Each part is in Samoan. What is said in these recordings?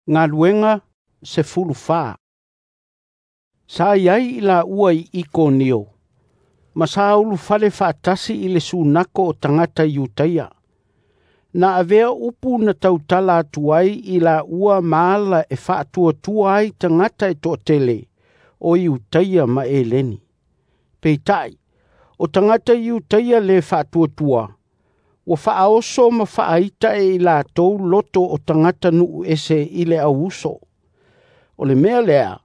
Galuega 14. Sa i ai i laua i Ikonio, ma sa ulufale faatasi i le sunako o tagata Iutaia. Na avea upu na tautala atu ai i laua ma ala e faatuatua ai tagata e toatele o Iutaia ma Eleni. Peitai, o tagata Iutaia le faatuatua, ua faaoso ma faaita e i latou loto o tagata nuu ese i le auuso. O le mea lea,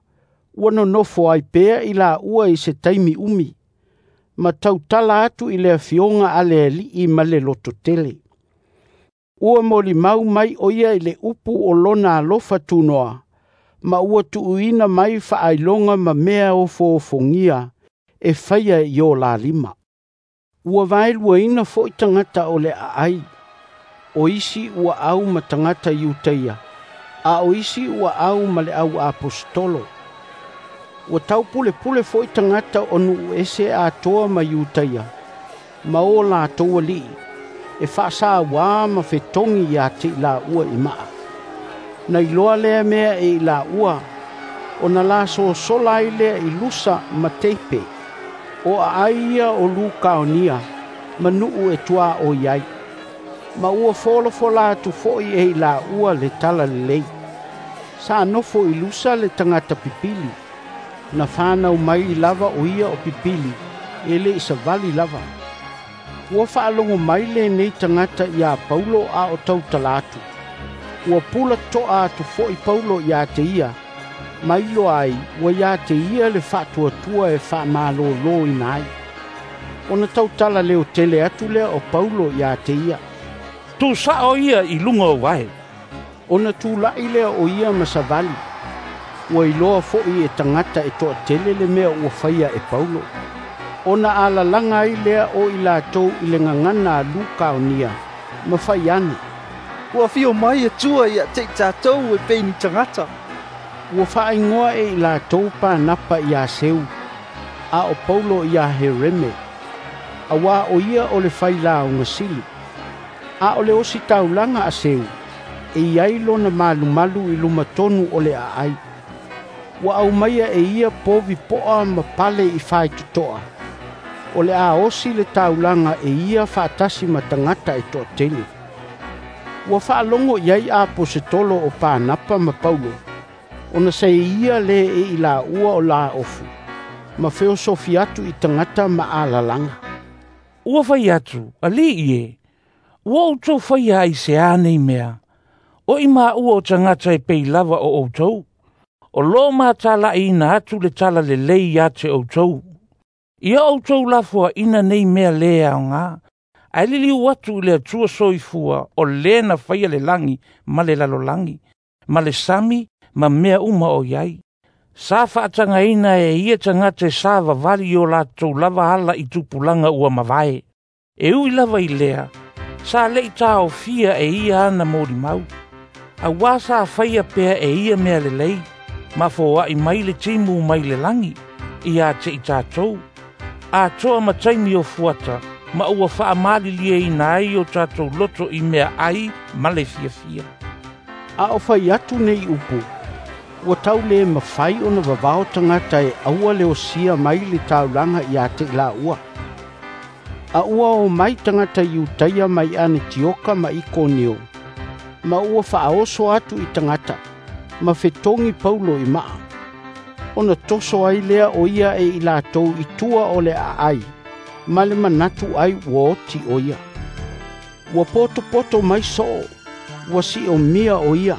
ua nonofo ai pea i laua i se taimi umi, ma tautala atu i le afioga a le Alii ma le lototele. Ua molimau mai o ia i le upu o lona alofa tunoa, ma ua tuuina mai faailoga ma mea ofoofogia e faia i o la lima. Ua vaeluaina foi tagata o le aai, o isi ua au ma tagata Iutaia, a o isi ua au ma le au aposetolo. Ua taupulepule foi tagata o nuu ese atoa ma Iutaia, ma o latou alii, e faasauā ma fetogi ia te i laua i maa. Na iloa lea mea e i laua, ona lasosola ai lea i Lusa ma Teipe, o aai ia o Lukaonia, ma nuu e tuaoi ai. Ma ua folafola atu foi e i laua le talalelei. Sa nofo i Lusa le tagata pipili, na whanau mai lava o ia o pipili, e le i savali lava. Ua faalogo mai lenei tagata iā Paulo a o tautala atu. Ua pula toa atu foi Paulo ia te ia, ma iloa ai ua ia te ia le faatuatua e faamalōlōina ai. Ona tautala leotele atu lea o Paulo ia te ia, "Tuusao ia i luga o vae." Ona tula'i lea o ia ma savali. Ua iloa foi e tagata e toatele le mea ua faia e Paulo. Ona alalaga ai lea o i latou i le gagana a Lukaonia, ma fai ane, "Ua afio mai Atua ia te i tatou e pei ni tagata." Ua faaigoa e i latou Panapa iā Seu, a o Paulo iā Hereme, auā o ia o le failauga sili. A o le ositaulaga a Seu, e i ai lona malumalu i luma tonu o le aai. Ua aumaia e ia povi poa ma pale i faitotoa, o le a osi le taulaga e ia faatasi ma tagata e toatele. Ua faalogo i ai aposetolo o Panapa ma Paulo, ona sa ia le e i laua o laofu, ma feosofi atu i tagata ma alalaga. "Ua fai atu, alii e, ua outou faia ai se a nei mea, o i maua o tagata e pei lava o outou. O lo matalaina atu le talalelei ia te outou. Ia outou lafoaina nei mea le aoga, ae liliu atu i le Atua soifua o le na faia le lagi ma le lalolagi, ma le sami ma mea uma o i ai. Sa faatagaina e ia tagata e savavali i o latou lava ala i tupulaga ua mavae. E ui lava i lea, sa le'i taofia e ia ana molimau. Auā sa faia pea e ia mea lelei, ma foa'i mai le timu mai le lagi, ia te i tatou. Atoa ma taimi o fuata, ma ua faamalilieina ai o tatou loto i mea ai ma le fiafia." A o fai atu nei upu, ua tau le mafai ona vavao tagata e aua le osia mai le taulaga ia te i laua. A ua o mai tagata Iutaia mai Anetioka ma Ikonio, ma ua faaoso atu i tagata, ma fetogi Paulo i maa. Ona toso ai lea o ia e i latou i tua o le aai, ma le manatu ai ua oti o ia. Ua potopoto mai soo, ua siomia o ia.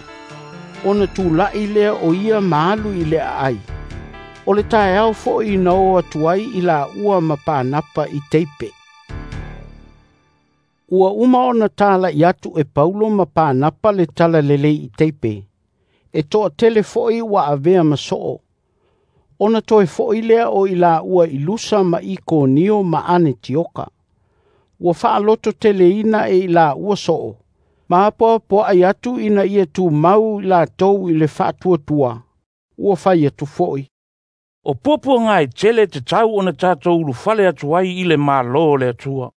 Ona tula'i lea o ia ma alu i le aai. O le taeao foi na o atu ai i laua ma Panapa i Teipe. Ua uma ona tala'i atu e Paulo ma Panapa le talalelei i Teipe, e toatele foi ua avea ma soo. Ona toe foi lea o i laua i Lusa ma Ikonio ma Anetioka. Ua faalototeleina e i laua soo, ma apoapoai atu ina ia tumau i latou i le faatuatua. Ua fai atu foi, "O puapuaga e tele e tatau ona tatou ulufale atu ai i le Malo o le Atua."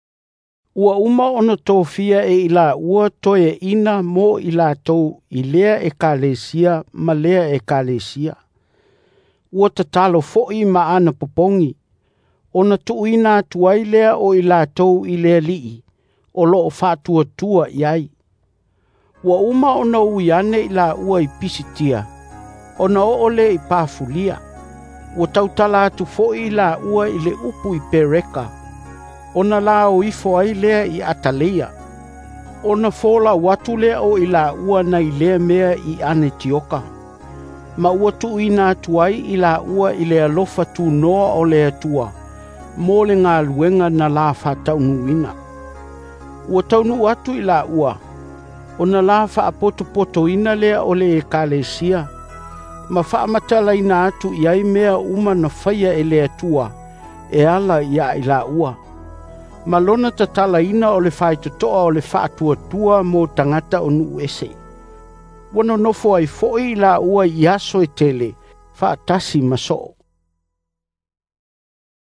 Ua uma ona tofia e i laua toeaina mo i latou i lea ekalesia ma lea ekalesia. Ua tatalo foi ma ana popogi, ona tuuina atu ai lea o i latou i le Alii o loo faatuatua i ai. Ua uma ona ui ane i laua i Pisitia, ona oo lea i Pafulia. Ua tautala atu foi i laua i le upu i Pereka, ona la o ifo ai lea i Ataleia. Ona folau atu lea o i laua nai lea mea i Anetioka. Ma ua tuuina atu ai i laua i le alofa tunoa o le Atua, mo le galuega na la faataunuuina. Ua taunuu atu i laua, ona la faapotopotoina lea o le ekalesia, ma faamatalaina atu i ai mea uma na faia e le Atua, e ala ia i laua. Ma lona tatalaina o le faitotoa o le faatuatua mo tagata o nuu ese. Ua nonofo ai foi i laua i aso e tele, faatasi ma soo.